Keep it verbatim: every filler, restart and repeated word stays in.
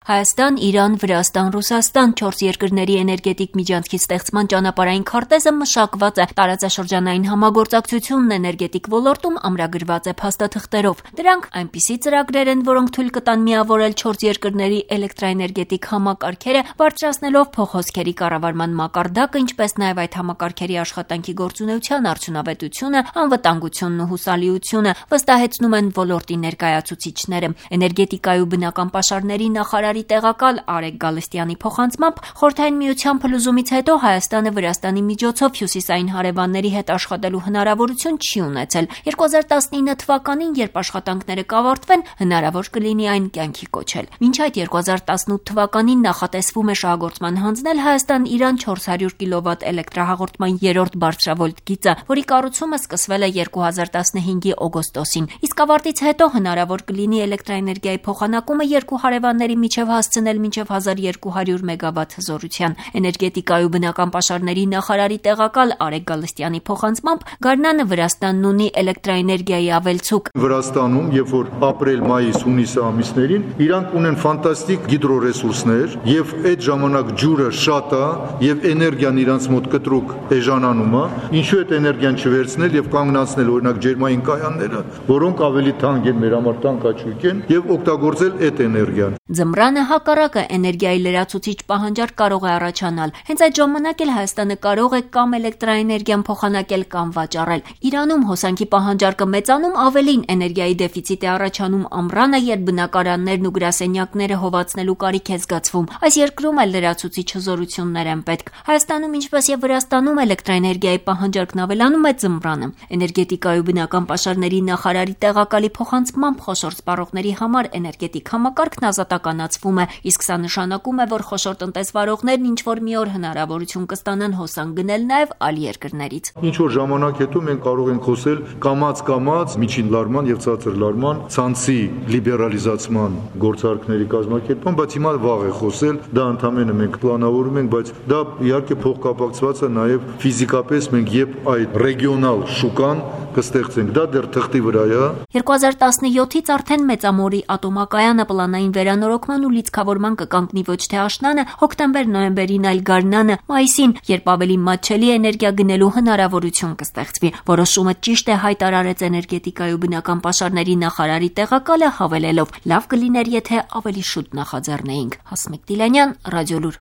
Հայաստան, Իրան, Վրաստան, Ռուսաստան չորս երկրների էներգետիկ միջանցքի ստեղծման ճանապարհային քարտեզը մշակված է տարածաշրջանային համագործակցությունն էներգետիկ ոլորտում ամրագրված է փաստաթղթերով։ Դրանք այնպիսի ծրագրեր են, որոնք թույլ կտան միավորել չորս երկրների էլեկտրաէներգետիկ համակարգերը, բարձրացնելով փոխհոսքերի կառավարման մակարդակը, ինչպես նաև այդ համակարգերի աշխատանքի գործունեության արդյունավետությունը, անվտանգությունն ու հուսալիությունը, վստահեցնում են ոլորտի ներկայացուցիչները։ Էներգետիկայի ու բնական պաշարների նախարարի տեղակալ Արեգ Գալստյանի փոխանցմամբ Խորհրդային Միության փլուզումից հետո Հայաստանը Վրաստանի միջոցով հյուսիսային հարևանների հետ աշխատելու հնարավորություն չի ունեցել։ երկու հազար տասնինը թվականին, երբ աշխատանքները կավարտվեն, հնարավոր կլինի այն կյանքի կոչել։ Մինչ այդ երկու հազար տասնութ թվականին նախատեսվում է շահագործման հանձնել Հայաստան-Իրան չորս հարյուր կիլովատ էլեկտրահաղորդման երրորդ բարձրավոլտ գիծը, որի կառուցումը սկսվել է երկու հազար տասնհինգի օգոստոսին։ Իսկ ավարտից հետո հնարավոր կլինի էլեկտրաէներգիայի փոխանակումը երկու հարևանների միջև հասցնել մինչև հազար երկու հարյուր մեգավատ հզորության։ Էներգետիկայի ու բնական պաշարների նախարարի տեղակալ Արեգ Գալստյանի փոխանցմամբ գարնանը Վրաստանն ունի էլեկտրաէներգիայի ավելցուկ։ Վրաստանում, երբ որ ապրիլ, մայիս, հունիս ամիսներին իրանք ունեն ֆանտաստիկ հիդրոռեսուրսներ եւ այդ ժամանակ ջուրը շատ է եւ էներգիան իրանց մոտ կտրուկ էժանանում է, ինչու այդ էներգիան չվերցնել եւ կանգնացնել օրինակ ջերմային կայանները, որոնք ավելի թանկ են, մեր համար տանկաճույք են, եւ օգտագործել այդ էներգիան։ Ձմռանը հակառակը էներգիայի լրացուցիչ պահանջարկ կարող է առաջանալ։ Հենց այդ ժամանակ էլ Հայաստանը կարող է կամ էլեկտրաէներգիան փոխանակել կամ վաճառել։ Իրանում հոսանքի պահանջարկը մեծանում, ավելին էներգիայի դեֆիցիտ է առաջանում ամռանը, երբ բնակարաններն ու գրասենյակները հովացնելու կարիք է զգացվում։ Այս երկրում էլ լրացուցիչ հզորություններ են պետք։ Հայաստանում, ինչպես եւ Վրաստանում, էլեկտրաէներգիայի պահանջարկն ավելանում է ձմռանը։ Էներգետիկայի ու բնական պաշարների նախարարի տեղակալի փոխանցմամբ խոշոր սպառողների համար էներգետիկ համակարգն ազատականացվում է, իսկ սա նշանակում է, որ խոշոր տնտեսվարողներն ինչ որ մի օր հնարավորություն կստանան հոսանք գնել նաև այլ երկրներից։ Ինչ որ ժամանակ հետո մենք կարող ենք խոսել կամաց-կամաց միջին լարման եւ ցածր լարման ցանցի լիբերալիզացման գործարքների կազմակերպման, բայց հիմա վաղ է խոսել, դա ընդհանրապես մենք պլանավորում ենք, բայց դա իհարկե փոխկապակցված է նաև ֆիզիկապես մենք երբ այդ ռեգիոնալ շուկան կստեղծենք, դա դեռ թղթի վրա է։ երկու հազար տասնյոթից արդեն Մեծամորի ատոմակայանը պլանային վերանորոգման ու լիցքավորման կկանգնի ոչ թե աշնանը, հոկտեմբեր-նոյեմբերին, այլ գարնանը, մայիսին, երբ ավելի մատչելի էներգիա գնելու հնարավորություն կստեղծվի։ Որոշումը ճիշտ է հայտարարեց էներգետիկայի ու բնական պաշարների նախարարի տեղակալը, հավելելով. լավ կլիներ, եթե ավելի շուտ նախաձեռնեինք։ Հասմիկ Դիլանյան, Ռադիոլուր։